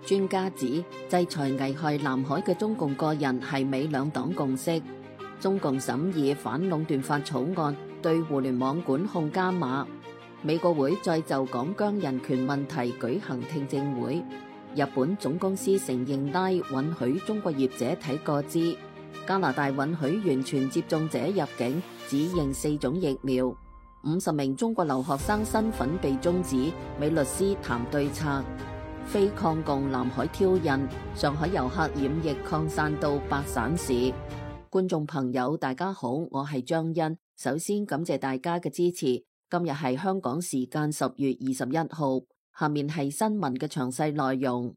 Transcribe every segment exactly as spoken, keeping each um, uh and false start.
專家指，制裁危害南海嘅中共個人係美兩黨共識。中共審議反壟斷法草案，對互聯網管控加碼。美國會再就港疆人權問題舉行聽證會。日本總公司承認拉允許中國業者睇個資。加拿大允許完全接種者入境，只認四種疫苗。五十名中國留學生身份被終止，美律師談對策。非抗共南海挑釁，上海遊客染疫擴散到八省市。觀眾朋友大家好，我係張欣，首先感謝大家嘅支持。今日係香港時間十月二十一號，下面係新聞嘅詳細內容。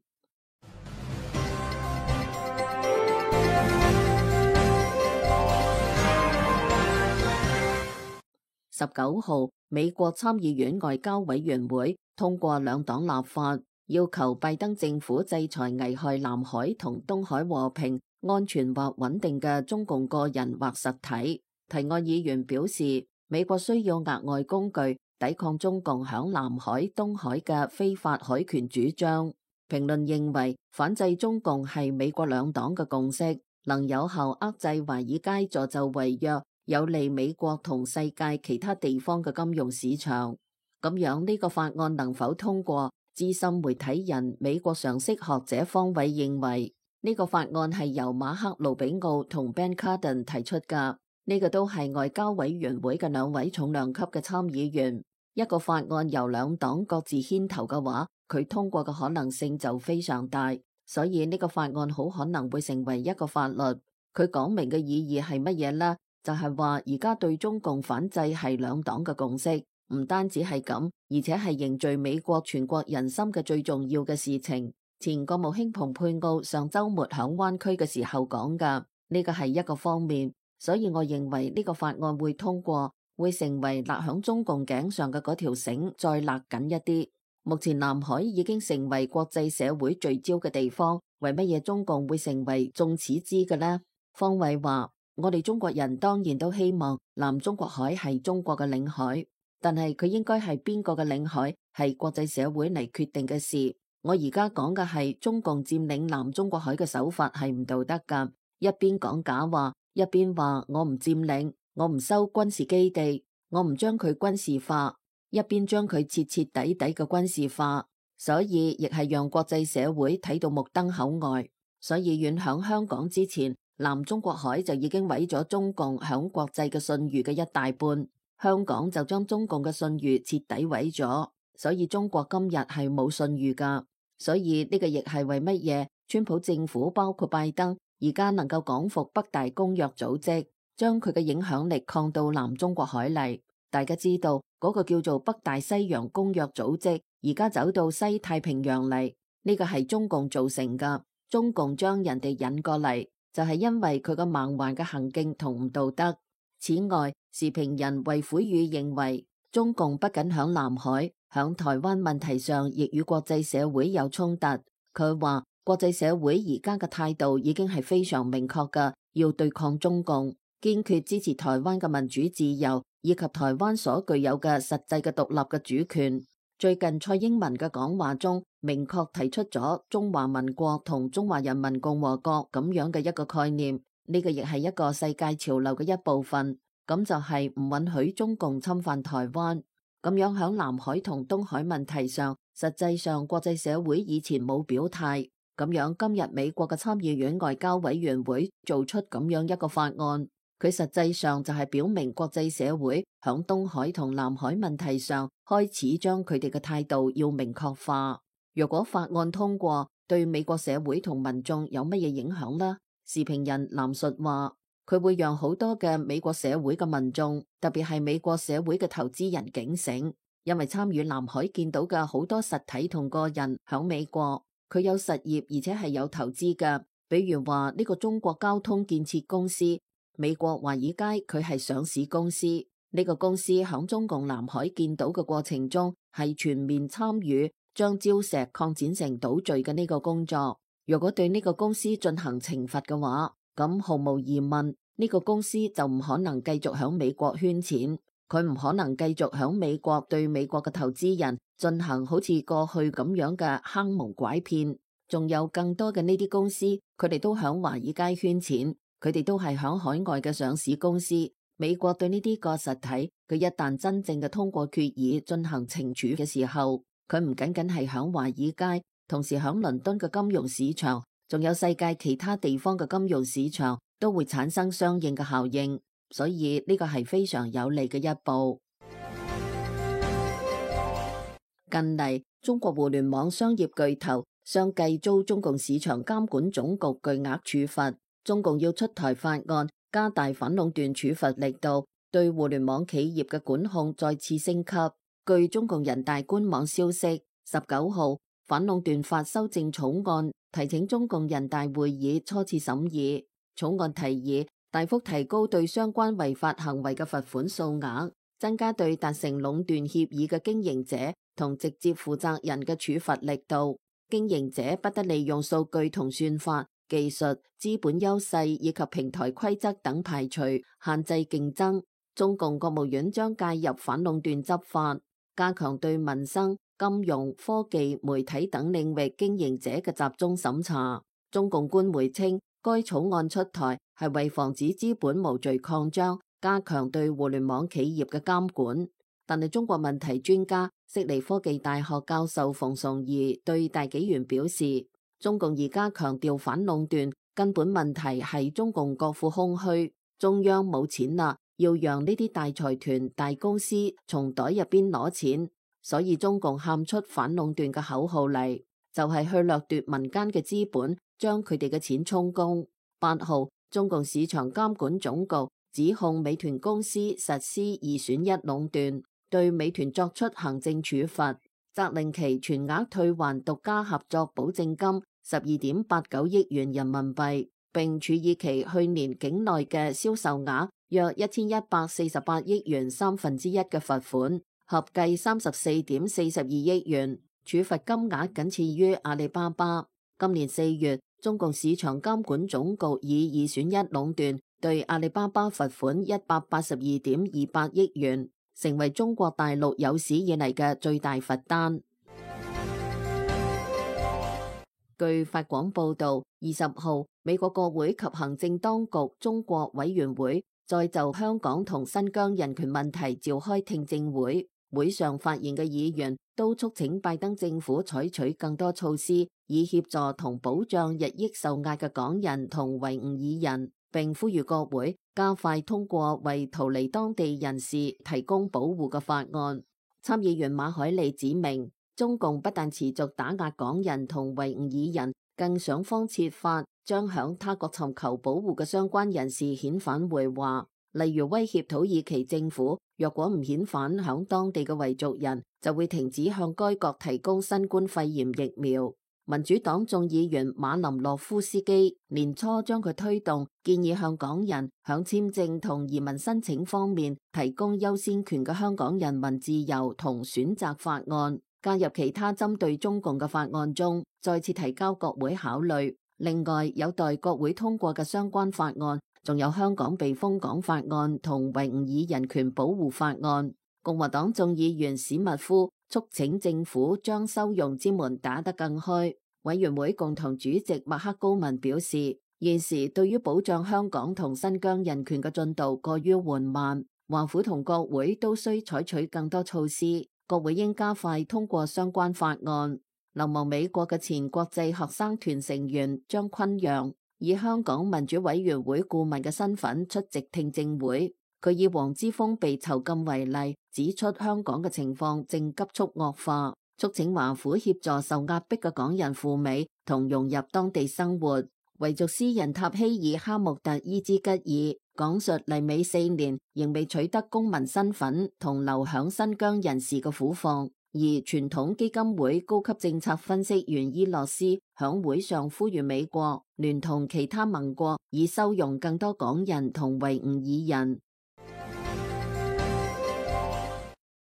十九號，美國參議院外交委員會通過兩黨立法，要求拜登政府制裁危害南海同東海和平、安全或穩定嘅中共個人或實體。提案議員表示，美國需要額外工具抵抗中共響南海、東海嘅非法海權主張。評論認為，反制中共係美國兩黨嘅共識，能有效遏制華爾街助紂為虐，有利美國同世界其他地方嘅金融市場。咁樣呢個法案能否通過？資深媒體人、美國常識學者方偉認為，呢個法案係由馬克·盧比奧同 Ben Cardin 提出㗎。呢個都係外交委員會嘅兩位重量級嘅參議員。一個法案由兩黨各自牽頭嘅話，佢通過嘅可能性就非常大。所以呢個法案好可能會成為一個法律。佢講明嘅意義係乜嘢呢？就係話而家對中共反制係兩黨嘅共識。唔單止係咁，而且係凝聚美國全國人心嘅最重要嘅事情。前國務卿蓬佩奧上週末響灣區嘅時候講㗎，呢個係一個方面。所以我認為呢個法案會通過，會成為勒響中共頸上嘅嗰條繩再勒緊一啲。目前南海已經成為國際社會聚焦嘅地方，為乜嘢中共會成為眾矢之嘅呢？方偉話：我哋中國人當然都希望南中國海係中國嘅領海。但係佢應該係邊個嘅領海，係國際社會嚟決定嘅事。我而家講嘅係中共佔領南中國海嘅手法係唔道德㗎。一邊講假話，一邊話我唔佔領，我唔收軍事基地，我唔將佢軍事化，一邊將佢徹徹底底嘅軍事化。所以亦係讓國際社會睇到目瞪口呆。所以遠響香港之前，南中國海就已經毀咗中共響國際嘅信譽嘅一大半。香港就將中共嘅信譽徹底毀咗，所以中國今日係冇信譽噶。所以呢個亦係為乜嘢川普政府包括拜登而家能夠講服北大公約組織，將佢嘅影響力擴到南中國海嚟。大家知道嗰個叫做北大西洋公約組織而家走到西太平洋嚟，呢個係中共造成噶。中共將人哋引過嚟，就係因為佢個蠻橫嘅行徑同唔道德。此外，時評人衛虎宇認為，中共不僅響南海、響台灣問題上，亦與國際社會有衝突。佢話，國際社會而家嘅態度已經係非常明確㗎，要對抗中共，堅決支持台灣嘅民主自由，以及台灣所具有嘅實際嘅獨立嘅主權。最近蔡英文嘅講話中，明確提出咗中華民國同中華人民共和國咁樣嘅一個概念。呢個亦係一個世界潮流嘅一部分，咁就係唔允許中共侵犯台灣。咁樣響南海同東海問題上，實際上國際社會以前冇表態。咁樣今日美國嘅參議院外交委員會做出咁樣一個法案，佢實際上就係表明國際社會響東海同南海問題上開始將佢哋嘅態度要明確化。若果法案通過，對美國社會同民眾有乜嘢影響呢？時評人藍述話，佢會讓好多嘅美國社會嘅民眾，特別係美國社會嘅投資人警醒，因為參與南海見到嘅好多實體同個人響美國，佢有實業而且係有投資嘅，比如話呢個中國交通建設公司，美國華爾街佢係上市公司，呢個公司響中共南海見到嘅過程中係全面參與將礁石擴展成島嶼嘅呢個工作。如果對呢個公司進行懲罰嘅話，咁毫無疑問，呢個公司就唔可能繼續響美國圈錢，佢唔可能繼續響美國對美國嘅投資人進行好似過去咁樣嘅坑蒙拐騙。仲有更多嘅呢啲公司，佢哋都響華爾街圈錢，佢哋都係響海外嘅上市公司。美國對呢啲個實體，佢一旦真正嘅通過決議進行懲處嘅時候，佢唔僅僅係響華爾街，同時響倫敦嘅金融市場，仲有世界其他地方嘅金融市場都會產生相應嘅效應，所以呢個係非常有利嘅一步。近嚟，中國互聯網商業巨頭相繼遭中共市場監管總局巨額處罰，中共要出台法案，加大反壟斷處罰力度，對互聯網企業嘅管控再次升級。據中共人大官網消息，十九號反壟斷法修正草案提請中共人大會議初次審議。草案提議大幅提高對相關違法行為嘅罰款數額，增加對達成壟斷協議嘅經營者同直接負責人嘅處罰力度。經營者不得利用數據同算法、技術、資本優勢以及平台規則等排除、限制競爭。中共國務院將介入反壟斷執法，加強對民生、金融、科技、媒體等領域經營者嘅集中審查。中共官媒稱，該草案出台係為防止資本無序擴張，加強對互聯網企業嘅監管。但係中國問題專家、悉尼科技大學教授馮崇義對大紀元表示，中共而家強調反壟斷，根本問題係中共國庫空虛，中央冇錢啦，要讓呢啲大財團、大公司從袋入邊攞錢，所以中共喊出反壟斷嘅口號嚟，就係、是、去掠奪民間嘅資本，將佢哋嘅錢充公。八號，中共市場監管總局指控美團公司實施二選一壟斷，對美團作出行政處罰，責令其全額退還獨家合作保證金十二點八九億元人民幣，並處以其去年境內嘅銷售額約一千一百四十八億元三分之一嘅罰款，合計三十四點四十二億元，處罰金額僅次於阿里巴巴。今年四月，中共市場監管總局以二選一壟斷對阿里巴巴罰款一百八十二點二八億元，成為中國大陸有史以嚟嘅最大罰單。據法廣報道，二十號，美國國會及行政當局中國委員會再就香港同新疆人權問題召開聽證會，會上發言嘅議員都促請拜登政府採取更多措施，以協助同保障日益受壓嘅港人同維吾爾人，並呼籲國會加快通過為逃離當地人士提供保護嘅法案。參議員馬凱利指明，中共不但持續打壓港人同維吾爾人，更想方設法將響他國尋求保護嘅相關人士遣返回華，例如威脅土耳其政府，若果唔遣返響當地嘅維族人，就會停止向該國提供新冠肺炎疫苗。民主黨眾議員馬林諾夫斯基年初將佢推動建議向港人響簽證同移民申請方面提供優先權嘅香港人民自由同選擇法案，加入其他針對中共嘅法案中，再次提交國會考慮。另外，有待國會通過嘅相關法案，仲有香港避風港法案同維吾爾人權保護法案。共和黨眾議員史密夫促請政府將收容之門打得更開。委員會共同主席麥克高文表示，現時對於保障香港同新疆人權嘅進度過於緩慢，華府同國會都需採取更多措施，國會應加快通過相關法案。流亡美國嘅前國際學生團成員張坤陽以香港民主委員會顧問嘅身份出席聽證會，佢以黃之鋒被囚禁為例，指出香港嘅情況正急速惡化，促請華府協助受壓迫嘅港人赴美同融入當地生活。維族詩人塔希爾哈木特伊茲吉爾講述嚟美四年仍未取得公民身份同流響新疆人士嘅苦況，而傳統基金會高級政策分析員伊洛斯響會上呼籲美國聯同其他盟國以收容更多港人同維吾爾人。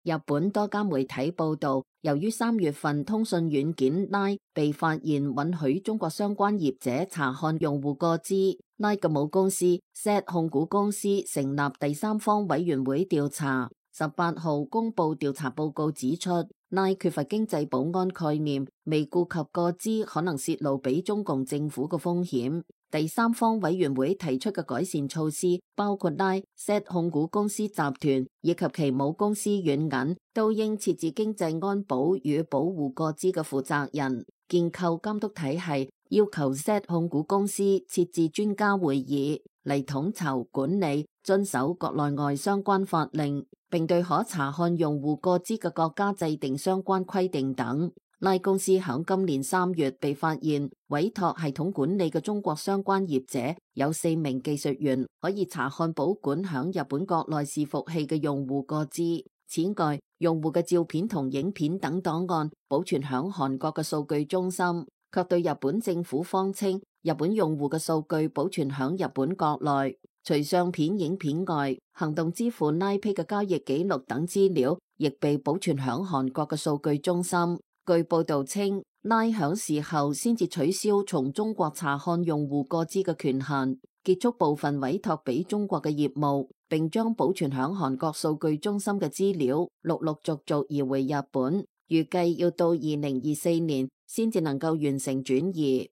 日本多家媒體報道，由於三月份通訊軟件 Line 被發現允許中國相關業者查看用戶個資，Line 嘅母公司 Z 控股公司成立第三方委員會調查。十八號公布調查報告指出拉缺乏經濟保安概念，未顧及個資可能泄露俾中共政府嘅風險。第三方委員會提出嘅改善措施包括拉 Z 控股公司集團以及其母公司軟銀都應設置經濟安保與保護個資嘅負責人，建構監督體系，要求 Z 控股公司設置專家會議嚟統籌管理、遵守國內外相關法令，並對可查看用戶個資嘅國家制定相關規定等。拉公司響今年三月被發現委託系統管理嘅中國相關業者有四名技術員可以查看保管響日本國內伺服器嘅用戶個資。此外，用戶嘅照片同影片等檔案保存響韓國嘅數據中心，卻對日本政府謊稱日本用戶嘅數據保存響日本國內。除相片、影片外，行動支付拉 Pay 嘅交易記錄等資料亦被保存響韓國嘅數據中心。據報道稱，拉響事後先至取消從中國查看用戶個資嘅權限，結束部分委託俾中國嘅業務，並將保存響韓國數據中心嘅資料陸陸續續移回日本，預計要到二零二四年先至能夠完成轉移。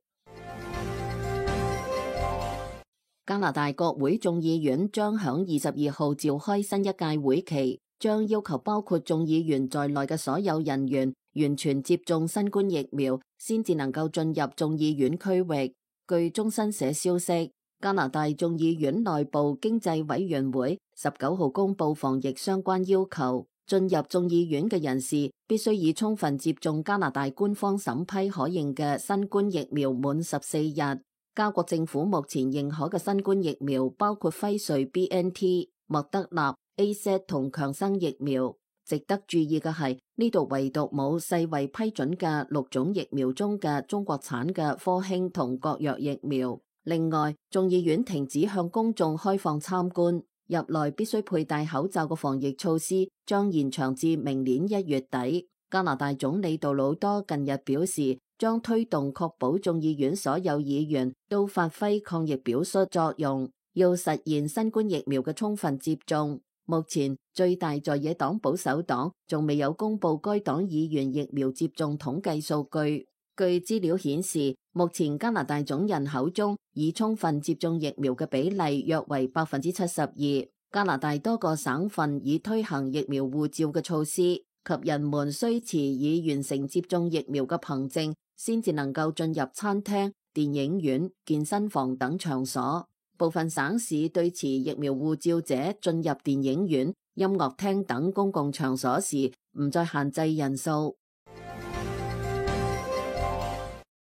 加拿大國會眾議院將響二十二號召開新一屆會期，將要求包括眾議員在內嘅所有人員完全接種新冠疫苗，先至能夠進入眾議院區域。據中新社消息，加拿大眾議院內部經濟委員會十九號公布防疫相關要求，進入眾議院嘅人士必須已充分接種加拿大官方審批可認嘅新冠疫苗滿十四日。加國政府目前認可嘅新冠疫苗包括輝瑞 B N T、莫德納、A Z 同強生疫苗。值得注意嘅係，呢度唯獨冇世衛批准嘅六種疫苗中嘅中國產嘅科興同國藥疫苗。另外，眾議院停止向公眾開放參觀，入內必須佩戴口罩嘅防疫措施將延長至明年一月底。加拿大總理杜魯多近日表示，將推動確保眾議院所有議員都發揮抗疫表率作用，要實現新冠疫苗嘅充分接種。目前最大在野黨保守黨仲未有公布該黨議員疫苗接種統計數據。據資料顯示，目前加拿大總人口中已充分接種疫苗嘅比例約為百分之七十二。加拿大多個省份已推行疫苗護照嘅措施，及人們需持已完成接種疫苗嘅憑證，先至能夠進入餐廳、電影院、健身房等場所。部分省市對持疫苗護照者進入電影院、音樂廳等公共場所時唔再限制人數。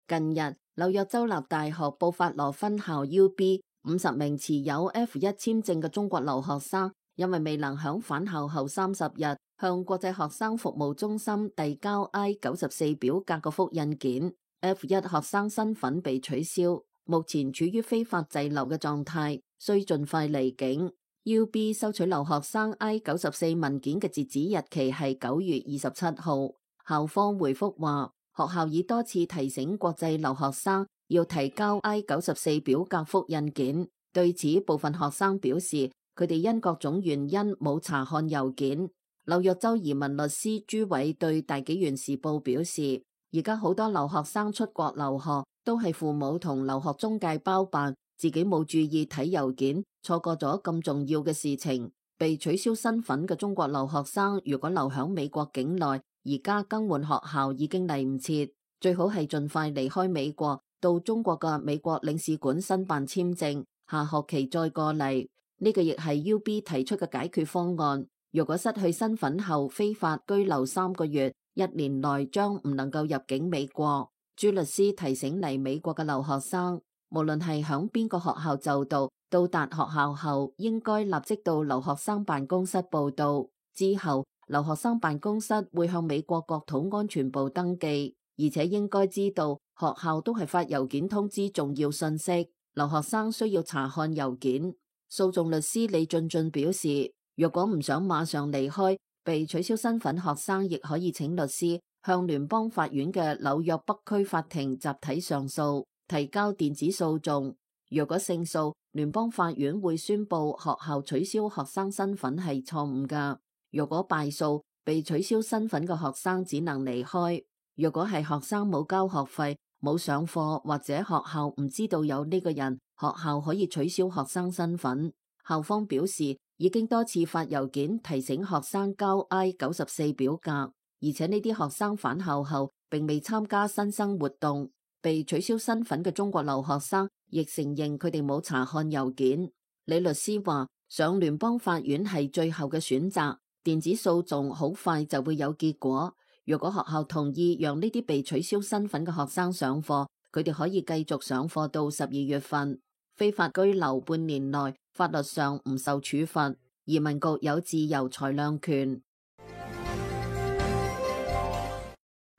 近日，紐約州立大學布法羅分校 U B 五十名持有 F 一 簽證嘅中國留學生，因為未能響返校後三十日向國際學生服務中心遞交 I 九十四表格嘅複印件 ，F 一 學生身份被取消。目前處於非法滯留嘅狀態，需盡快離境。U B 收取留學生 I 九十四文件嘅截止日期係九月二十七號。校方回覆話，學校已多次提醒國際留學生要提交 I 九十四表格複印件。對此，部分學生表示，佢哋因各種原因冇查看郵件。紐約州移民律師朱偉對大紀元時報表示，而家好多留學生出國留學都係父母同留學中介包辦，自己冇注意睇郵件，錯過咗咁重要嘅事情。被取消身份嘅中國留學生如果留響美國境內，而家更換學校已經嚟唔切，最好係盡快離開美國，到中國嘅美國領事館申辦簽證，下學期再過嚟。呢個亦係 U B 提出嘅解決方案。如果失去身份後非法居留三個月，一年內將唔能夠入境美國。朱律師提醒嚟美國嘅留學生，無論係響邊個學校就讀，到達學校後應該立即到留學生辦公室報到。之後，留學生辦公室會向美國國土安全部登記，而且應該知道學校都係發郵件通知重要信息，留學生需要查看郵件。訴訟律師李俊俊表示，若果唔想馬上離開，被取消身份學生亦可以請律師向聯邦法院嘅紐約北區法庭集體上訴，提交電子訴訟。若果勝訴，聯邦法院會宣布學校取消學生身份係錯誤㗎。若果敗訴，被取消身份嘅學生只能離開。若果係學生冇交學費、冇上課或者學校唔知道有呢個人，學校可以取消學生身份。校方表示已經多次發郵件提醒學生交 I 九十四表格，而且呢啲學生返校後並未參加新生活動。被取消身份嘅中國留學生亦承認佢哋冇查看郵件。李律師話，上聯邦法院係最後嘅選擇，電子訴訟好快就會有結果。如果學校同意讓呢啲被取消身份嘅學生上課，佢哋可以繼續上課到十二月份。非法居留半年內，法律上唔受處罰。移民局有自由裁量權。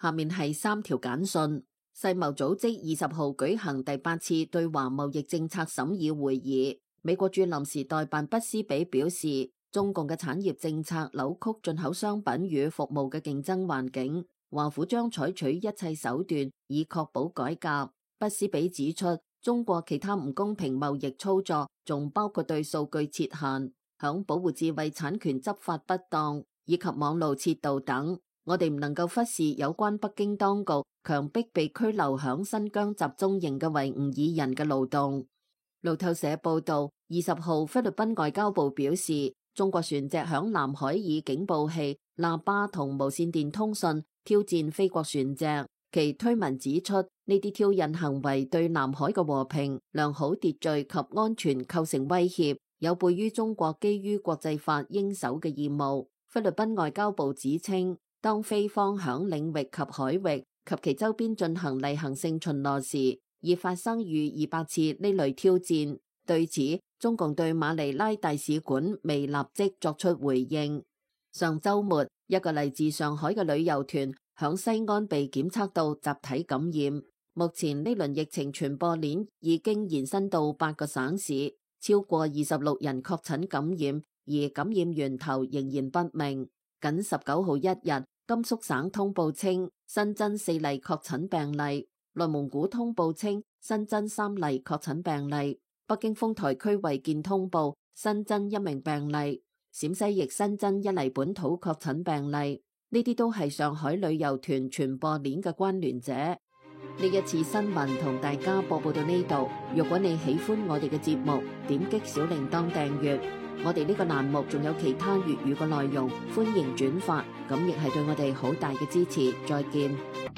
下面係三條簡訊。世貿組織二十號舉行第八次對華貿易政策審議會議。美國駐臨時代辦畢斯比表示，中共嘅產業政策扭曲進口商品與服務嘅競爭環境，華府將採取一切手段以確保改革。畢斯比指出，中國其他唔公平貿易操作仲包括對數據設限、響保護智慧產權執法不當以及網路竊盜等。我哋唔能夠忽視有關北京當局強迫被拘留響新疆集中營嘅維吾爾人嘅勞動。路透社報道，二十號菲律賓外交部表示，中國船隻響南海以警報器、喇叭同無線電通訊挑戰菲國船隻。其推文指出，呢啲挑釁行為對南海嘅和平、良好秩序及安全構成威脅，有悖於中國基於國際法應守嘅義務。菲律賓外交部指稱，當菲方響領域及海域及其周邊進行例行性巡邏時，已發生逾二百次呢類挑戰。對此，中共對馬尼拉大使館未立即作出回應。上週末，一個嚟自上海嘅旅遊團響西安被檢測到集體感染。目前呢輪疫情傳播鏈已經延伸到八個省市，超過二十六人確診感染，而感染源頭仍然不明。僅十九號一日，甘肅省通報稱新增四例確診病例，內蒙古通報稱新增三例確診病例，北京豐台區衛健通報新增一名病例，陝西亦新增一例本土確診病例。呢啲都係上海旅遊團傳播鏈嘅關聯者。呢一次新聞同大家播報到呢度。如果你喜歡我哋嘅節目，點擊小鈴鐺訂閱。我哋呢個欄目仲有其他粵語嘅內容，歡迎轉發，咁亦係對我哋好大嘅支持。再見。